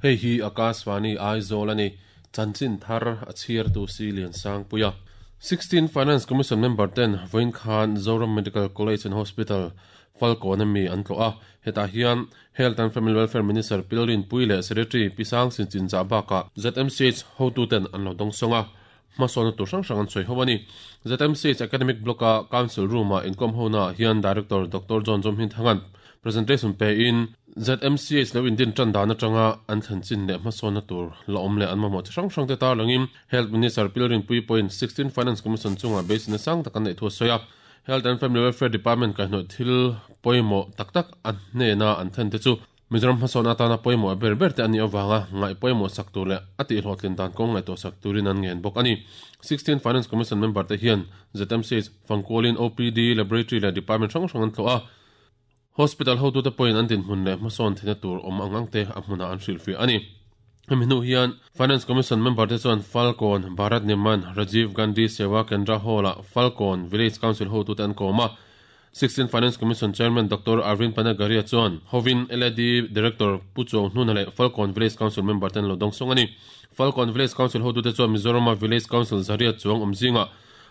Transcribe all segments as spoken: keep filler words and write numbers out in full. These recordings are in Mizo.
Hei hi Akashvani Aizawl ani chanchin thar a chhiar tu si lian sang puia sixteen Finance Commission member ten Voin Khan Zoram Medical College and Hospital Falcon ami an tlo a heta hian Health and Family Welfare Minister Pilrin Puile Secretary Pisang Sinchin cha baka Z M C H hotu ten an lo dong songa masona tu sang sang an soi howani Z M C H Academic Block a Council Room a income hona hian Director Doctor John Jom Hin Thangan presentation pe in Z M C H lo Indian tran dana tanga an thanchin le masona tur la om le an ma mo sang sang te tar langin Health Minister Pilrin Pui point sixteen Finance Commission chunga base na sang takan nei thu soya Health and Family Welfare Department ka hno thil poimo tak tak an hne na an than te chu Mizoram hmasona tana poimo ber ber te ani awanga ngai poimo sak tur le ati hlotlin dan kong ngai to sak turin an ngen bok ani sixteen Finance Commission member te hian Z M C H Fangkolin O P D Laboratory le Department hrang hrang an thlo a Hospital ho tu te point an din hmun le hmasawn thina tur om angang te a hmuna an hrilh fi ani hemi hian Finance Commission member te chuan Falcon Bharat Nirman Rajiv Gandhi Seva Kendra Hall a Falcon Village Council ho tu te an kawma sixteen Finance Commission Chairman Doctor Arvind Panagaria chuan Hovin L A D Director Pucho Hnuna le Falcon Village Council member ten lo dong song ani Falcon Village Council ho tu te chuan Mizoram Village Council zaria chuang omzinga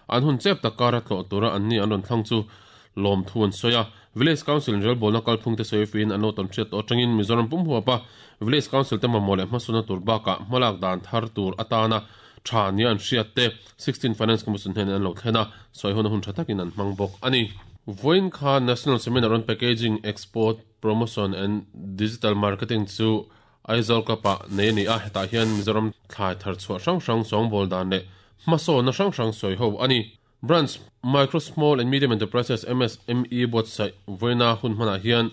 an hun chep takara tlo tura an ni an ron thlang chu lom thuan soya Village Council rel bolna kalphung te soifin ano ton thret otangin Mizoram pum huapa Village Council te mamole hmasuna tur baka hmalak dan thar tur atana tha ni an hriat te sixteen Finance Commission hen an lo thlena soi hon hun thatakin an hmang bok ani Voin kha National Seminar on Packaging Export Promotion and Digital Marketing chu Aizawl kapa nei ni a heta hian Mizoram thlai thar chhuah hrang hrang sawng bol dan le hmasawn na hrang hrang sawi ho ani Branch Micro Small and Medium Enterprises M S M E website Voina hun hmana hian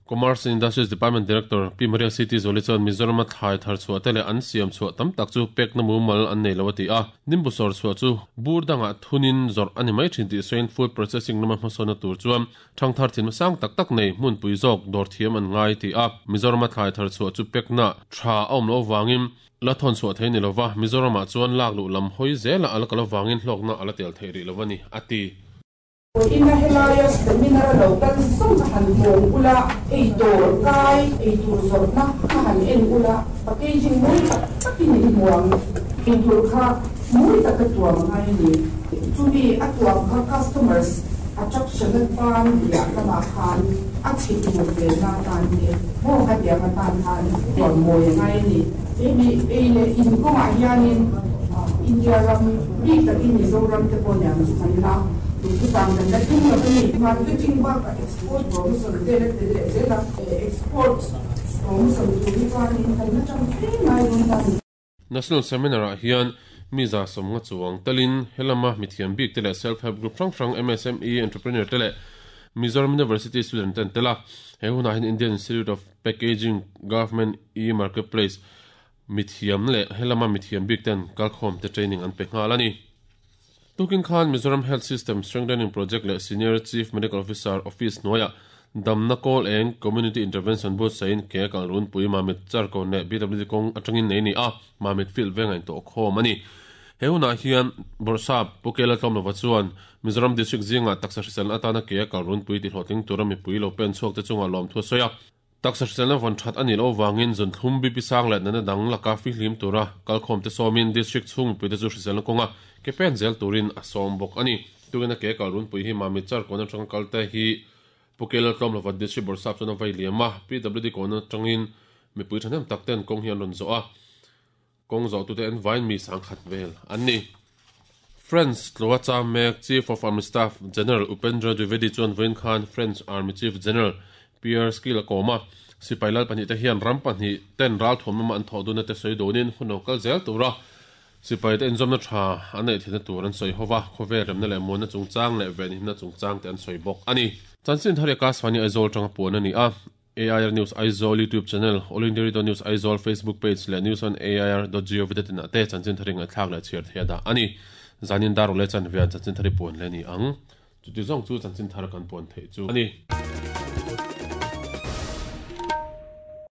Commerce and Industries Department Director P Maria City Zoli chuan Mizoram thlai thar chhuah te le an siam chhuah tam tak chu pek na mumal an nei lo ati a nimbu sawr chhuah chu bur danga thunin zawrh ani mai thin tih sawiin food processing lama hmasawna tur chuan thang thar thin sang tak tak nei hmun pui zawk dawr thiam an ngai ti a Mizoram thlai thar chhuah chu pek na tha a awm lo wangin la thon chhuah thei ni lova Mizoram ah chuan lak lu lam hawi zela ala kal wangin hlawkna ala tel thei ri lovani ati Ina helaya seminar lo kan song han bong ula ei dor kai ei tur zorna han en ula packaging moi tak takin ni muang ei tur kha moi tak tuam ngai ni chumi atuam kha customers attraction tan ya lama khan a chi tu ve na tan ni mo ka dia ma tan han tuam moi ngai ni e mi ei le in ko ma hianin India ram ri takin Mizoram te pon yang san la marketing export export National Seminar ah hian miza somnga chuang telin helama mithiam bik tele self help group hrang hrang M S M E entrepreneur tele Mizoram University student ten tela he huna hin Indian Institute of Packaging Government e Marketplace mithiam le helama mithiam bik ten kalkhom te training an pe ngal ani Tukin Khan Mizoram Health System Strengthening Project le Senior Chief Medical Officer Office Noya Damna Call and Community Intervention Board sain ke kal run pui mamit char ko ne B W D kong atangin nei ni a mamit field venga in to khom ani he huna hian borsa pukela tlom lova chuan Mizoram District zinga taksa hrisel atana ke kal run pui ti hlotling turami pui lo pen chhuak te chunga lom thu soya taksa hrisel na von that ani lo wangin zon thlum bi pisang le na dang laka fi hlim tura kalkhom te somin district chung pui te chu hrisel na konga ke pen zel turin asom bok ani tugena ke kalrun pui hi mami char kona tang kalte hi pukela tlom lova district borsa chona vai liama P W D kona tangin mi pui thanem takten kong hian ron zo a kong zo tu te en vain mi sang khat vel anni French Tloacha Mek Chief of Army Staff General Upendra Dwivedi chuan Vain Khan French Army Chief General Pierre Skila Koma sipailal pani te hian ram pani ten ral thom ma an thoduna te soi donin huno kal zel tura sipai te inzom na tha anei thina tur an soi howa khove remna le mon na chungchang le ven himna chungchang te an soi bok ani chanchin thare ka swani Aizawl tanga pon ani a A I R News Aizawl YouTube channel All India News Aizawl Facebook page le news on A I R dot gov dot in te chanchin thare ngai thlak le chiar thea da ani zanin dar le chan vian chanchin thare pon le ni ang chu ti zong chu chanchin thar kan pon thei chu ani.